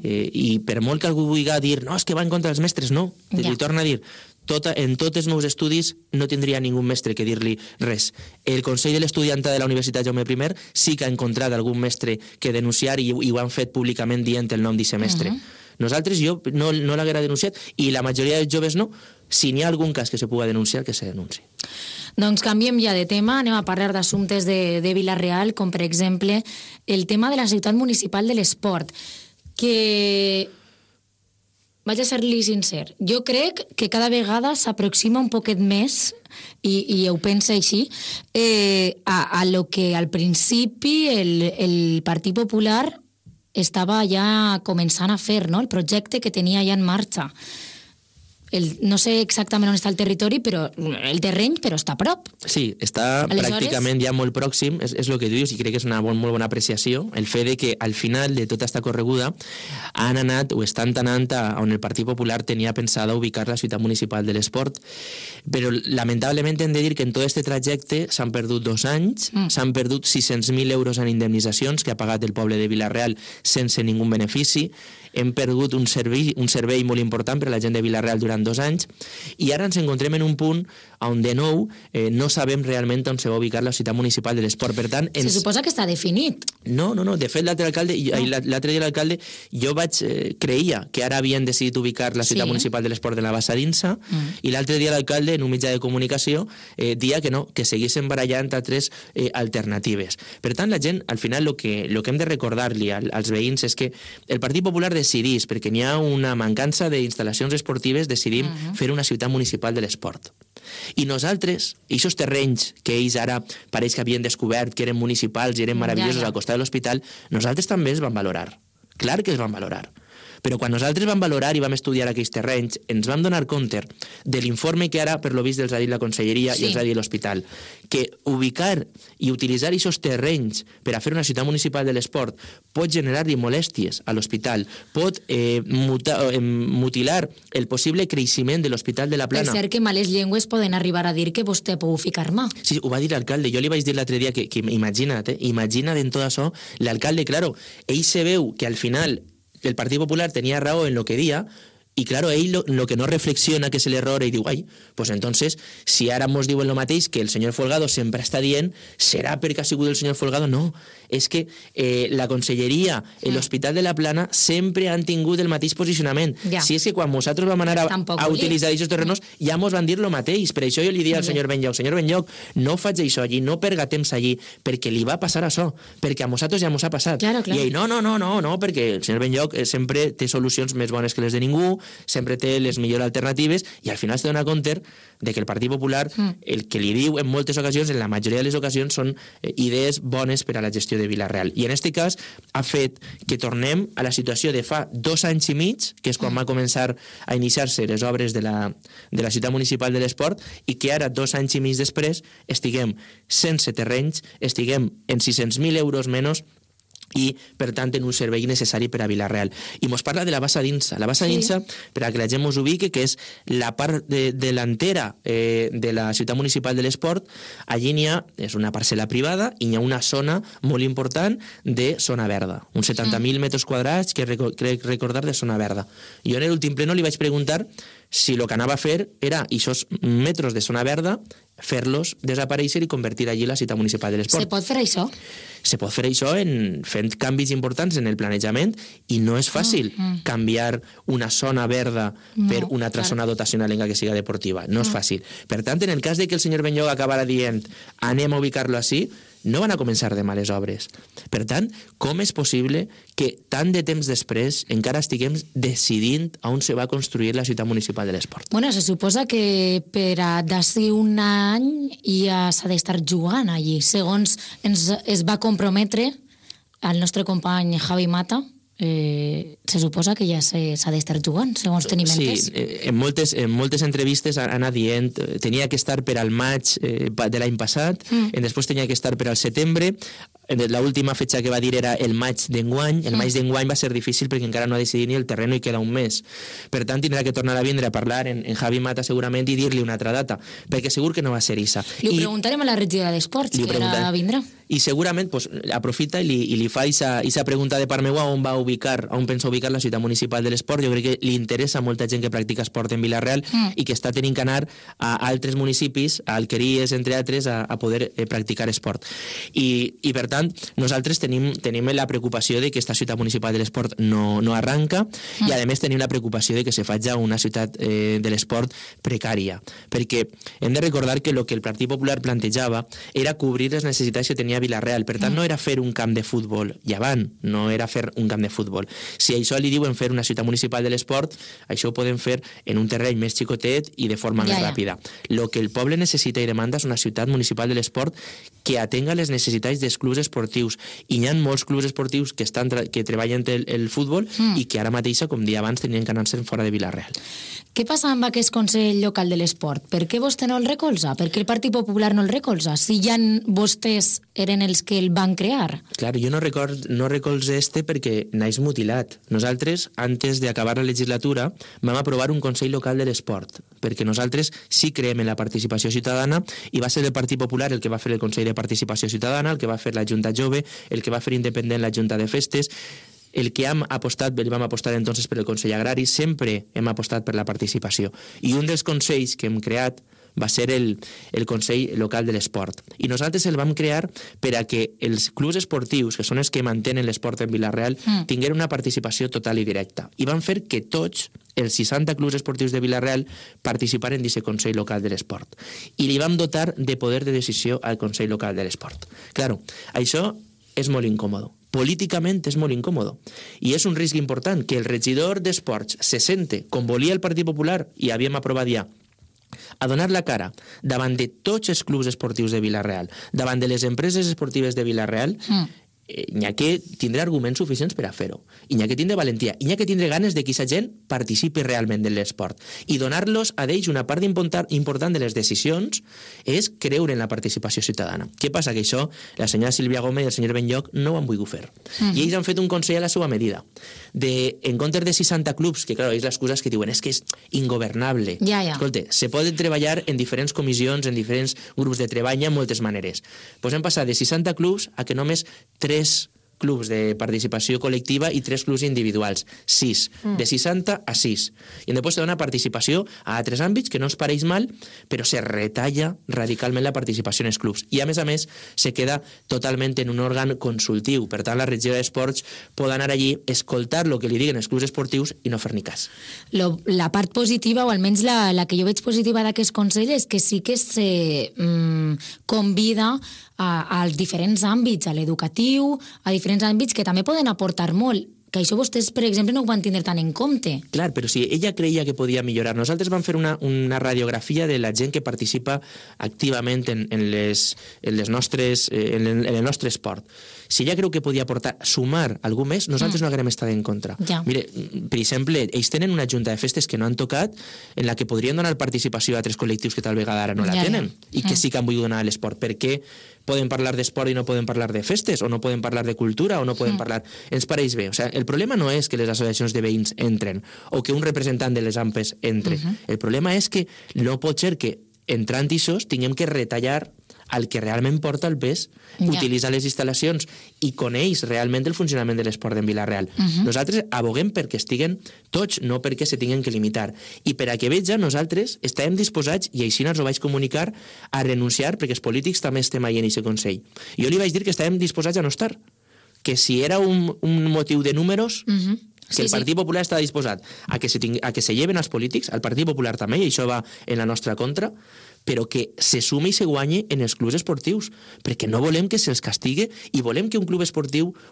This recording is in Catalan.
I per molt que algú vulgui dir no, és que va en contra dels mestres, no, li torna a dir en tots els meus estudis no tindria ningú mestre que dir-li res. El Consell de l'Estudiantat de la Universitat Jaume I sí que ha encontrat algun mestre que denunciar i ho han fet públicament dient el nom d'aquest mestre. Nosaltres, jo no l'haguera denunciat i la majoria dels joves no. Si n'hi ha algun cas que se pugui denunciar, que se denunciï. Doncs canviem ja de tema, anem a parlar d'assumptes de Vila-real, com per exemple el tema de la ciutat municipal de l'esport, que, vaig a ser-li sincer, jo crec que cada vegada s'aproxima un poquet més, i ho pensa així, a lo que al principi el Partit Popular estava ja començant a fer, no? El projecte que tenia ja en marxa. No sé exactament on està el territori, però el terreny, però està a prop. Sí, està pràcticament ja molt pròxim, és el que dius, i crec que és una molt bona apreciació, el fet de que al final de tota esta correguda han anat o estan anant on el Partit Popular tenia pensada ubicar la ciutat municipal de l'esport, però lamentablement hem de dir que en tot aquest trajecte s'han perdut 2 anys, s'han perdut 600.000 euros en indemnitzacions que ha pagat el poble de Vila-real sense ningú benefici, hem perdut un servei molt important per a la gent de Vila-real durant 2 anys, i ara ens encontrem en un punt on de nou no sabem realment on se va ubicar la ciutat municipal de l'esport. Per tant, se suposa que està definit. No, de fet l'altre dia l'alcalde jo creia que ara havien decidit ubicar la ciutat municipal de l'esport de la Bassa d'Insa, i l'altre dia l'alcalde en un mitjà de comunicació dia que no, que seguissin barallant altres alternatives. Per tant, la gent, al final, el que hem de recordar-li als veïns és que el Partit Popular decidís, perquè n'hi ha una mancança d'instal·lacions esportives, decidim fer una ciutat municipal de l'esport. I nosaltres, aquests terrenys que ells ara pareix que havien descobert que eren municipals i eren meravellosos al costat de l'hospital, nosaltres també els vam valorar. Clar que els vam valorar. Però quan nosaltres vam valorar i vam estudiar aquells terrenys, ens vam donar compte de l'informe que ara, per lo vist, els ha dit la Conselleria i els ha dit l'Hospital, que ubicar i utilitzar aquests terrenys per a fer una ciutat municipal de l'esport pot generar-li molèsties a l'hospital, pot mutilar el possible creixement de l'Hospital de la Plana. Per cert que males llengües poden arribar a dir que vostè pot ficar mà. Sí, ho va dir l'alcalde. Jo li vaig dir l'altre dia que imagina't en tot això, l'alcalde, claro, ell se veu que al final el Partit Popular tenia raó en lo que dia, i claro, ell lo que no reflexiona que és l'error i diu, pues entonces, si ara mos diuen lo mateix que el senyor Folgado sempre està dient, serà perquè ha sigut el senyor Folgado? No, és que la Conselleria i l'Hospital de la Plana sempre han tingut el mateix posicionament. Si és que quan nosaltres vam anar a utilitzar aquests terrenos ja mos van dir lo mateix. Per això jo li dic al senyor Benlloc, no faig això allí, no perga temps allí, perquè li va passar això, perquè a nosaltres ja mos ha passat. I ell, no, perquè el senyor Benlloc sempre té solucions més bones que les de ningú, sempre té les millors alternatives, i al final es dona compte de que el Partit Popular el que li diu en moltes ocasions, en la majoria de les ocasions, són idees bones per a la gestió de Vila-real. I en aquest cas ha fet que tornem a la situació de fa 2 anys i mig, que és quan va començar a iniciar-se les obres de la ciutat municipal de l'esport, i que ara, 2 anys i mig després, estiguem sense terrenys, estiguem en 600.000 euros menys, i, per tant, en un servei necessari per a Vila-real. I mos parla de la Bassa d'Insa. La Bassa d'Insa, per a que la gent mos ubique, que és la part delantera de la ciutat municipal de l'esport, allí n'hi ha, és una parcel·la privada, i n'hi ha una zona molt important de zona verda. Uns 70.000 metres quadrats, que crec recordar, de zona verda. Jo en l'últim pleno li vaig preguntar si el que anava a fer era aquests metres de zona verda, fer-los desaparèixer i convertir allí la ciutat municipal de l'esport. Se pot fer això? Se pot fer això fent canvis importants en el planejament, i no és fàcil canviar una zona verda per una altra zona dotacional en que siga deportiva. No és fàcil. Per tant, en el cas de que el senyor Benlloc acabara dient anem a ubicar-lo així, no van a començar de males obres. Per tant, com és possible que tant de temps després encara estiguem decidint on se va construir la ciutat municipal de l'esport? Bueno, se suposa que per a d'ací un any ja s'ha d'estar jugant allí, segons es va comprometre el nostre company Javi Mata. Se suposa que ja s'ha d'estar jugant, segons tenim entès. Sí, en moltes entrevistes ha anat dient tenia que estar per al maig de l'any passat, després tenia que estar per al setembre, l'última fetge que va dir era el maig d'enguany. El maig d'enguany va ser difícil perquè encara no ha decidit ni el terreno i queda un mes. Per tant, tindrà que tornar a vindre a parlar en Javi Mata segurament i dir-li una altra data, perquè segur que no va ser issa. Li preguntarem a la regidora d'Esports, que ara vindrà. i segurament pues, aprofita i li fa aquesta pregunta de part meva on pensa ubicar la ciutat municipal de l'esport. Jo crec que li interessa a molta gent que practica esport en Vila-real i que està tenint que anar a altres municipis, a Alqueries, entre altres, a poder practicar esport. I per tant, nosaltres tenim la preocupació de que aquesta ciutat municipal de l'esport no arranca i a més tenim la preocupació de que se faci una ciutat de l'esport precària, perquè hem de recordar que el que el Partit Popular plantejava era cobrir les necessitats que tenia Vila-real. Per tant, no era fer un camp de futbol llevant, no era fer un camp de futbol. Si això li diuen fer una ciutat municipal de l'esport, això ho podem fer en un terreny més xicotet i de forma més ràpida. El que el poble necessita i demanda és una ciutat municipal de l'esport que atenga les necessitats dels clubs esportius. I hi ha molts clubs esportius que treballen el futbol i que ara mateixa, com dia abans, tenien que anar-se'n fora de Vila-real. Què passa amb aquest Consell Local de l'Esport? Per què vostè no el recolza? Per què el Partit Popular no el recolza? Si ja vostès eren els que el van crear. Clar, jo no recolze perquè naix mutilat. Nosaltres, antes d'acabar la legislatura, vam aprovar un Consell Local de l'Esport, perquè nosaltres sí creiem en la participació ciutadana i va ser el Partit Popular el que va fer el Consell de Participació Ciutadana, el que va fer la Junta Jove, el que va fer independent la Junta de Festes. El que vam apostar entonces per el Consell Agrari, sempre hem apostat per la participació. I un dels consells que hem creat va ser el Consell Local de l'Esport. I nosaltres el vam crear per a que els clubs esportius, que són els que mantenen l'esport en Vila-real, tingueren una participació total i directa. I van fer que tots els 60 clubs esportius de Vila-real participaren d'aquest Consell Local de l'Esport. I li vam dotar de poder de decisió al Consell Local de l'Esport. Claro, això és molt incòmode. Políticament és molt incòmode. I és un risc important que el regidor d'Esports se sente, com volia el Partit Popular, i havíem aprovat ja, a donar la cara davant de tots els clubs esportius de Vila-real, davant de les empreses esportives de Vila-real, n'hi ha que tindre arguments suficients per a fer-ho. I n'hi ha que tindre valentia. I n'hi ha que tindre ganes de que aquesta gent participi realment de l'esport. I donar-los a ells una part important de les decisions és creure en la participació ciutadana. Què passa? Que això la senyora Sílvia Gómez i el senyor Benlloc no ho han volgut fer. I ells han fet un consell a la seva medida. En comptes de 60 clubs, que clar, és l'excusa que diuen és que és ingovernable. Escolta, se poden treballar en diferents comissions, en diferents grups de treball, hi ha moltes maneres. Doncs hem passat de 60 clubs a que només 3 clubs de participació col·lectiva i 3 clubs individuals. 6. De 60 a 6. I després se dona participació a altres àmbits que no ens pareix mal, però se retalla radicalment la participació en els clubs. I a més, se queda totalment en un òrgan consultiu. Per tant, la regió d'esports pot anar allí, escoltar el que li diguen els clubs esportius i no fer ni cas. La part positiva, o almenys la que jo veig positiva d'aquest Consell, és que sí que se convida als diferents àmbits, a l'educatiu, a diferents àmbits que també poden aportar molt, que això vostès, per exemple, no ho van tindre tant en compte. Clar, però si ella creia que podia millorar. Nosaltres vam fer una radiografia de la gent que participa activament en el nostre esport. Si ella creu que podia sumar algú més, nosaltres no haguem estat en contra. Mire, per exemple, ells tenen una junta de festes que no han tocat, en la que podrien donar participació a altres col·lectius que tal vegada ara no la tenen, i que sí que han volgut donar a l'esport. Per què poden parlar d'esport i no poden parlar de festes, o no poden parlar de cultura, o no poden parlar... Ens pareix bé. O sigui, el problema no és que les associacions de veïns entren, o que un representant de les AMPEs entre. El problema és que no pot ser que, entrant d'aixòs, tinguem que retallar el que realment porta el pes, utilitzar les instal·lacions i coneix realment el funcionament de l'esport en Vila-real. Nosaltres aboguem perquè estiguen tots, no perquè se tinguen que limitar. I per a que veja, nosaltres estàvem disposats, i així ens ho vaig comunicar, a renunciar, perquè els polítics també estem ahí en aquest Consell. Jo li vaig dir que estàvem disposats a no estar, que si era un motiu de números... que el Partit Popular està disposat a que se lleven els polítics, el Partit Popular també, i això va en la nostra contra, però que se sume i se guanyi en els clubs esportius, perquè no volem que se'ls castigue i volem que un club esportiu